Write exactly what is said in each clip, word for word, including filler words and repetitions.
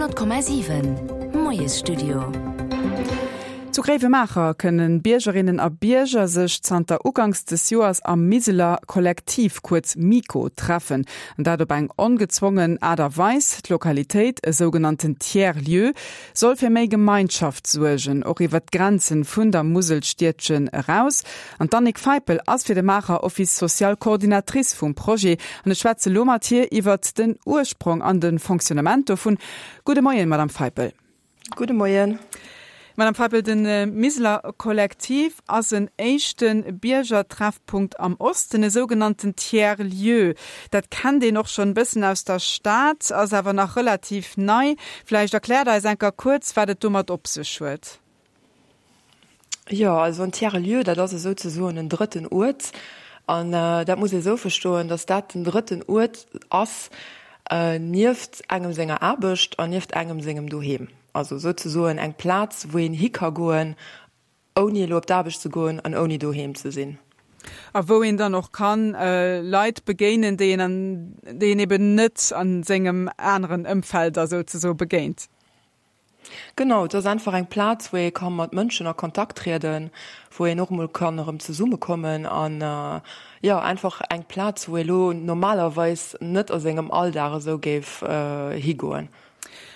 Honnert Komma siwen Moiesstudio. Zu Gréiwemaacher kënnen Biergerinnen a Bierger sech zanter uganks des Joers am Miseler Kollektiv, kuerz MiKo, treffen. An dat op eng ongezwongen Aart a Weis. D'Lokalitéit, e sougenannten Tiers-lieu, soll fir méi Gemeinschaft suergen, och iwwer d'Grenzen vun der Muselstiedchen eraus. An d'Annick Feipel ass fir de Maacher Office social Coordinatrice vum Projet an ech schwätze lo mat hir iwwer den Ursprong an de Fonctionnement dovun. Gudde Moien, Madame Feipel. Gudde Moien. Madame Feipel, de Miseler Kollektiv ass en éischte Biergertreffpunkt am Osten, e sougenannten Tiers-lieu. Dat kennt een och schonn e bëssen aus der Stad, ass awer nach relativ nei. Vläicht erkläert Der eis eng Kéier kuerz, wat et domat op sech huet. Jo, also en Tiers-lieu, dat ass esouzesoen en drëtten Uert. An dat muss ee sou verstoen, datt dat den drëtten Uert ass nieft engem senger Aarbecht an nieft engem sengem Doheem. Also souzesoen eng Plaz, wou een hi ka goen, ouni elo op d'Aarbecht ze goen an ouni doheem ze sinn. A wou een dann och kann Leit begéinen, déi een an, déi een eben net a sengem aneren Ëmfeld da souzesoe begéint. Genau, et ass einfach eng Plaz, wou ee ka mat Mënschen a Kontakt trieden, wou een och emol kann erëm zesummekommen an, jo, einfach eng Plaz, wou ee lo normalerweis net a sengem Alldag esou géif higoen.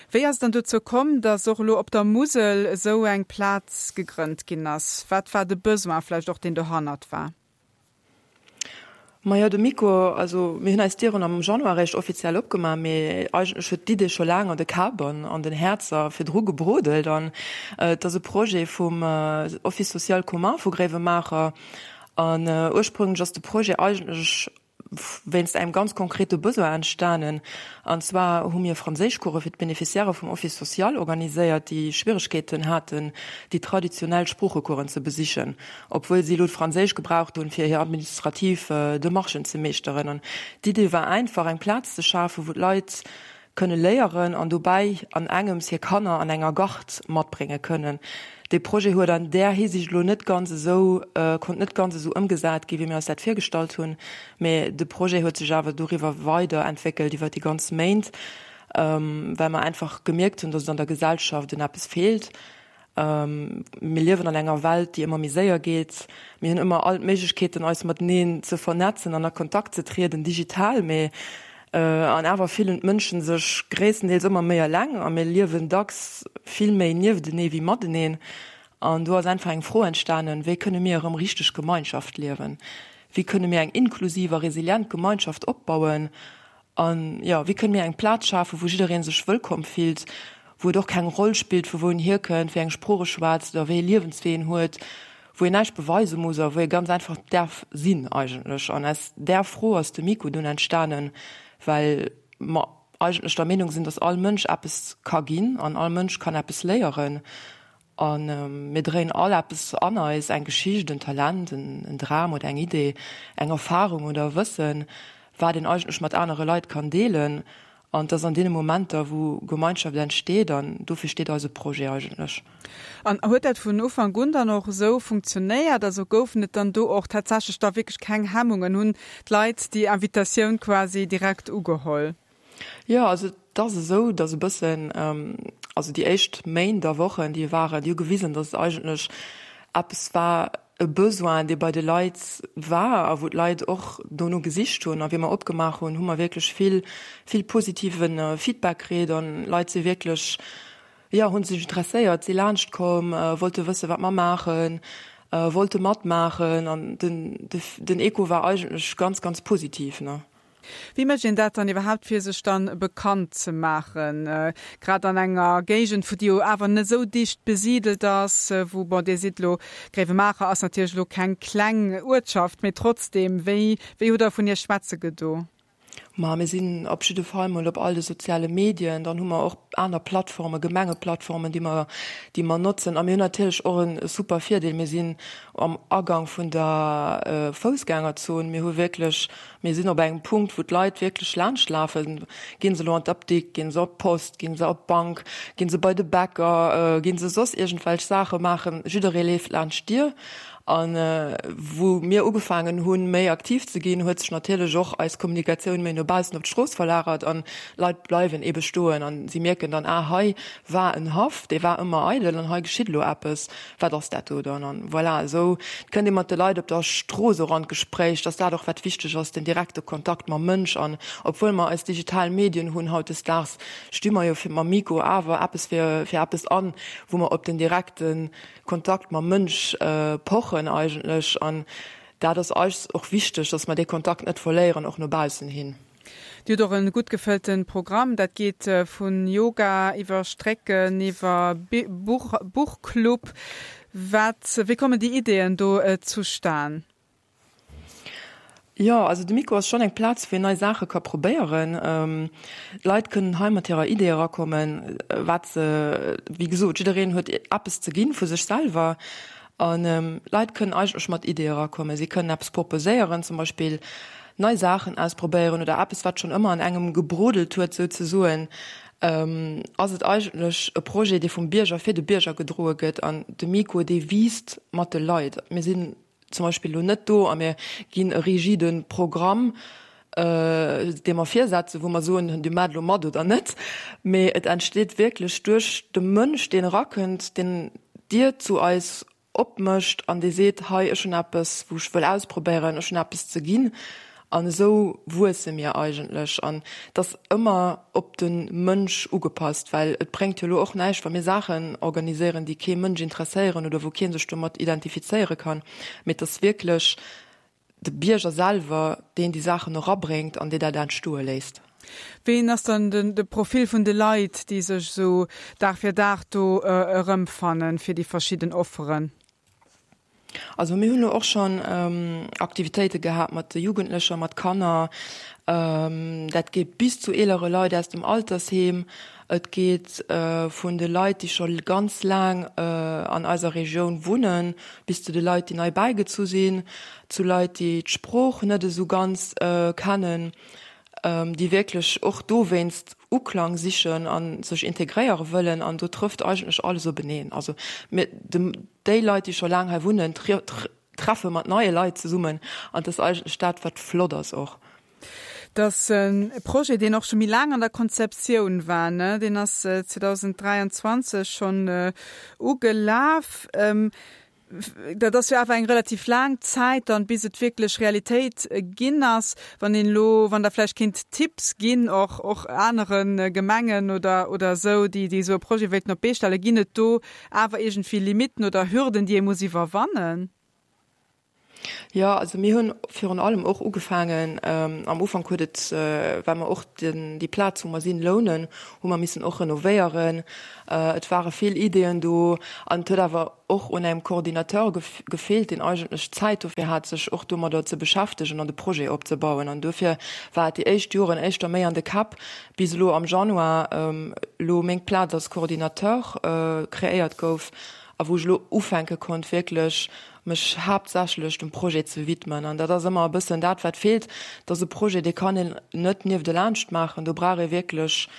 Wéi ass et dann dozou komm, dass och elo op der Musel esou eng Plaz gegrënnt ginn ass? Wat war de Besoin vläicht och, deen dohannert war? Majo, de Miko, also mir hunn eis Dieren am Januar eréischt offiziell opgemaach, mee eigentlech huet d'Idee scho laang an de Käpp an an den Häerzer virdru gebrodelt. An et ass e Projet vum Office social commun vu Gréiwemaacher. An ursprünglech ass de Projet eigentlech wéinst engem ganz konkrete Besoin entstanen. An zwar hu mir Franséischcourse fir d'Beneficiairë vum Office social organiséiert, déi Schwieregkeeten haten, déi traditionell Sproochecoursen ze besichen, obwuel si elo d'Franséisch gebraucht hunn, fir hir administrativ Demarchen ze meeschteren. An d'Idee war einfach, eng Plaz ze schafen, wou d'Leit kënne léieren an dobäi an engems hir Kanner an enger Gard matbrénge kënnen. Dee Projet huet an där Hisiicht elo net ganz esou, konnt net ganz esou ëmgesat ginn, wéi mir eis dat virgestallt hunn, mä de Projet huet sech awer doriwwer weider entwéckelt iwwer déi ganz Méint, well mer einfach gemierkt hunn, datt et an der Gesellschaft un eppes feelt. Mir liewen an enger Welt, déi ëmmer méi séier geet. Mir hunn ëmmer all d'Méiglechkeeten, eis mateneen ze vernetzen an a Kontakt ze trieden, digital, mee an awer fillen d'Mënschen sech gréisstendeels ëmmer méi eleng a mir liewen dacks vill méi nieftenee wéi mateneen. An do ass einfach eng Fro entstanen, Wéi kënne mir erëm richteg Gemeinschaft liewen? Wéi kënne mir eng inklusiv a resilient Gemeinschaft opbauen? An, jo, wéi kënne mir eng Plaz schafen, wou jidderee sech wëllkomm fillt, wou et och keng Roll spillt, vu wou en hierkënnt, wéi eng Sprooch e schwätzt oder wéi ee Liewenswee en huet, wou een näischt beweise muss a wou ee ganz einfach däerf sinn eigentlech. An aus där Fro ass de Miko dunn entstanen, well mer eigentlech der Meenung sinn, dass all Mënsch eppes ka ginn an all Mënsch kann eppes léieren. A mir dréien all eppes an eis, eng Geschicht, en Talent, en Dram oder eng Idee, eng Erfarung oder e Wëssen, wat een eigentlech mat anere Leit kann deelen. An et ass an deene Momenter, wou Gemeinschaft entsteet, an dofir steet eise Projet eigentlech. An huet dat vun Ufank un dann och esou funktionéiert? Also goufen et dann do och tatsächlech da wierklech keng Hemmungen? Hunn d'Leit déi Invitatioun quasi direkt ugeholl? Jo, also et ass esou, datt e bëssen, also déi éischt Méint a Wochen, déi waren, déi hu gewisen, datt et eigentlech eppes war, e Besoin, dee bei de Leit war a wou d'Leit och dono gesicht hunn. A wéi mer opgemaach hunn, hu mer wierklech vill, vill positive Feedback kritt an d'Leit si wierklech, jo, hu sech interesséiert, si laanscht komm, wollte wëssen, wat mer maachen, wollte matmaachen an den, den Echo war eigentlech ganz, ganz positiv, ne. Wéi mécht een dat dann iwwerhaapt, fir sech dann bekannt ze maachen, grad an enger Géigend, wou déi jo awer net esou dicht besidelt ass, wou, bon, Dir sidd elo, Gréiwemaacher ass natierlech elo keng kleng Uertschaft, mee trotzdeem, wéi, wéi hutt Der vun Iech schwätze gedo? Ma mir sinn op jidde Fall mol op all de soziale Medien, dann hu mer och aner Plattformen, Gemengeplattformen, déi mer, déi mer notzen. A mir hunn natierlech och e super Virdeel, mir sinn am Agang vun der Foussgängerzon. Mir hu wierklech, mir sinn op engem Punkt, wou d'Leit wierklech laanscht lafen. Ginn se elo an d'Apdikt, ginn se op d'Post, ginn se op d'Bank, ginn se bei de Bäcker, ginn se soss iergendwelch Saache maachen, jidderee leeft laanscht d'Dier. An wou mir ugefaangen hunn, méi aktiv ze ginn, huet sech natierlech och eis Kommunikatioun méi no baussen op d'Strooss verlagert an Leit bleiwen eebe stoen an si mierken dann, ah hei war en Haff, dee war ëmmer eidel an hei geschitt elo eppes, wat ass dat do dann? An voilà, esou kënnt ee mat de Leit op der Strooss och an d'Gespréich, dass dat och wat wichteg ass, den direkte Kontakt mam Mënsch. An obwuel mer eis digital Medien hunn hautdesdaags, sti mer jo fir mam Mikro awer eppes fir fir eppes an, wou mer op den direkte Kontakt mam Mënsch pochen eigentlech. An dat ass eis och wichteg, dass mer dee Kontakt net verléieren, och no baussen hin. Dir hutt och e gutt gefëllte Programm. Dat geet vu Yoga iwwer Strécken, iwwer Buchclub. Wat, wéi kommen déi Ideeën do zustan? Jo, also de Mikro ass schonn eng Plaz, wou een nei Saache ka probéieren. D'Leit kënnen hei mat hirer Idee erakommen, wat se, wéi gesot, jiddereen huet eppes ze ginn vu sech selwer. An d'Leit kënnen eigentlech mat Ideeë erakommen. Si kënnen eppes proposéieren, zum Beispill nei Saachen ausprobéieren oder eppes, wat schonn ëmmer an engem gebrodelt huet, souzesoen. Ass et eigentlech e Projet, dee vum Bierger fir de Bierger gedroe gëtt. An de Mikro, dee wiisst mat de Leit. Mir sinn zum Beispill elo net do a mir ginn e rigide Programm, dee mer virsetzen, wou mer soen, Dir maacht elo mat oder net, mee et entsteet wierklech duerch de Mënsch, deen erakënnt, deen d'Dier zu eis opmécht an dee seet, hei, ech hunn eppes, wou ech wëll ausprobéieren, ech hunn eppes ze ginn. An esou wuesse mir eigentlech. An et ass ëmmer op de Mënsch ugepasst, well et bréngt jo elo och näischt, wa mir Saachen organiséieren, déi kee Mënsch interesséieren oder wou kee sech domat identifizéiere kann. Mee et ass wierklech de Bierger selwer, deen déi Saachen erabréngt an dee dat entstoe léisst. Wéi ass dann de Profil vun de Leit, déi sech esou Dag fir Dag do erëmfannen fir déi verschidden Offeren? Also mir hunn elo och schonn Aktivitéite gehat mat de Jugendlecher, mat Kanner. Dat geet bis zu eelere Leit aus dem Altersheem. Et geet vun de Leit, déi scho ganz laang an eiser Regioun wunnen, bis zu de Leit, déi nei bäigezu sinn, zu Leit, déi d'Sprooch net esou ganz kennen, déi wierklech och dowéinst Uklang sichen a sech integréiere wëllen. An do trëfft eigentlech alles openeen. Also mir, déi Leit, déi scho laang hei wunnen, treffe mat neie Leit zesummen. An dat ass eigentlech dat, wat flott ass och. Dat ass e Projet, deen och scho méi laang an der Konzeptioun war, ne? Deen ass zweedausenddräianzwanzeg schonn ugelaf. Dat ass jo awer eng relativ laang Zäit dann, bis et wierklech Realitéit ginn ass. Wann een elo, wann Der vläicht kéint Tipps ginn, och och anere Gemengen oder oder esou, déi déi esou e Projet wéilten op d'Bee stellen, ginn et do awer iergendwéi Limitten oder Hürden, déi ee muss iwwerwannen? Jo, also mir hunn virun allem och ugefaangen, am Ufank huet et, well mer och den, déi Plaz wou mer sinn, lounen, hu mer missen och renovéieren. Et ware vill Ideeën do an et huet awer och un engem Coordinateur gefeelt, deen eigentlech Zäit dofir hat, sech och domadder ze beschäftegen an de Projet opzebauen. An dofir war et déi éischt Joren éischter méi an de Käpp, bis elo am Januar elo meng Plaz als Coordinateur kreéiert gouf a wou ech elo ufänke konnt, wierklech mech haaptsächlech dem Projet ze widmen. An dat ass ëmmer e bëssen dat, wat feelt. Dat ass e Projet, dee kann een net nieftelaanscht maachen. Do brauch ee wierklech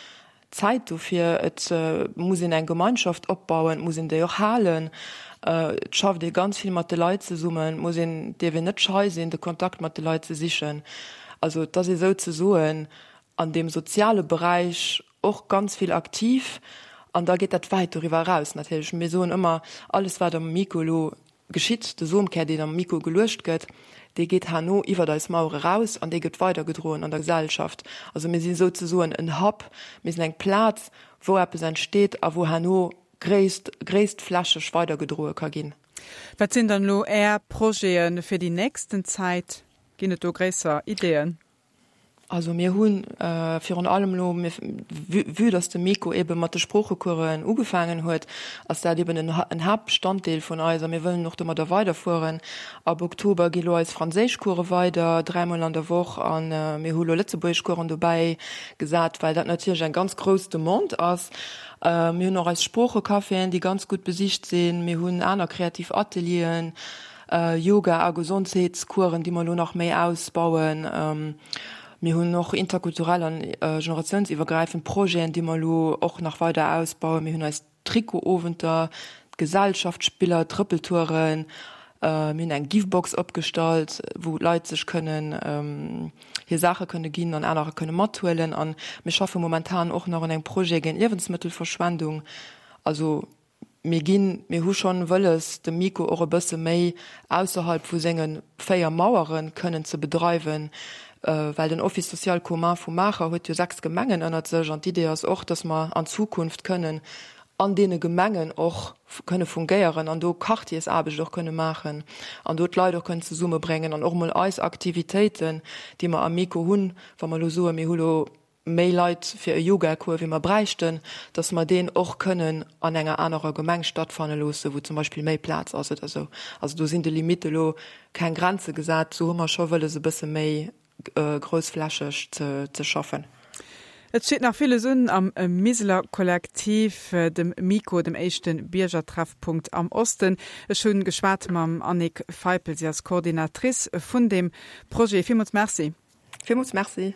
Zäit dofir. Et muss een eng Gemeinschaft opbauen, et muss een déi och halen. Et schafft ee ganz vill mat de Leit zesummen. Et muss een, dierf een net schei sinn, de Kontakt mat de Leit ze sichen. Also et ass ee souzesoen an deem soziale Beräich och ganz vill aktiv. An da geet dat wäit doriwwer eraus natierlech. Mir soen ëmmer, alles wat am Mikro elo geschitt, de Somkär, deen am Mikro geluecht gëtt, dee geet herno iwwert eis Mauere raus an dee gëtt weidergedroen an der Gesellschaft. Also mir si souzesoen en Hub, mir sinn eng Plaz, wou eppes entsteet a wou herno gréisst, gréisstflächeg weidergedroe ka ginn. Wat sinn dann elo Är Projete fir déi nächsten Zäit? Ginn et do gréisser Ideeën? Also mir hu virun allem elo, vue dass de Miko ebe mat de Sproochecoursen ugefaangen huet, ass dat eben en Haaptbestanddeel vun eis a mir wëllen och domadder weiderfueren. Ab Oktober gi lo eis Franséischcourse weider, dräimol an der Woch, a mir hu lo Lëtzebuergeschcoursen dobäi gesat, well dat natierlech eng ganz grouss Demande ass. Mir hunn och eis Sproochecaféen, déi ganz gutt besicht sinn. Mir hunn aner kreativ Atelieren, Yoga a Gesondheetscoursen, déi mer elo nach méi ausbauen. Mir hunn och interkulturell an generatiounsiwwergräifend Projeten, déi mer elo och nach weider ausbauen. Mir hunn eis Trikot-Owenter, d'Gesellschaftsspiller, d'Trëppeltouren, Mir hunn eng Givebox opgestallt, wou d'Leit sech kënnen hir Saache kënne ginn an anerer kënne mathuelen. A mir schaffe momentan och nach un engem Projet géint Liewensmëttelverschwendung. Also mir ginn, mir hu schonn wëlles, de MiKo och e bësse méi ausserhalb vu senge véier Mauere kënnen ze bedreiwen, well den Office social commun vu Maacher huet jo sechs Gemengen ënnert sech an d'Idee ass och, dass mer an Zukunft kënnen an deene Gemengen och kënne fungéieren an do Quartiersaarbecht och kënne maachen an do d'Leit och kënnen zesummebréngen an och emol eis Aktivitéiten, déi mer am MiKo hunn, wa mer elo soen, mir hu lo méi Leit fir e Yogacours wéi mer bräichten, dass mer deen och kënnen an enger anerer Gemeng stattfanne loosse, wou zum Beispill méi Plaz ass oder esou. Also do sinn de Limitte elo keng Grenze gesat. Do hu mer scho wëlles e bësse méi groussflächeg ze schaffen. Et steet nach villes un am Miseler Kollektiv, dem MiKo, dem éischte Biergertreffpunkt am Osten. Ech hunn geschwat mam Annick Feipel, si ass Coordinatrice vun deem Projet. Villmools Merci. Villmools Merci.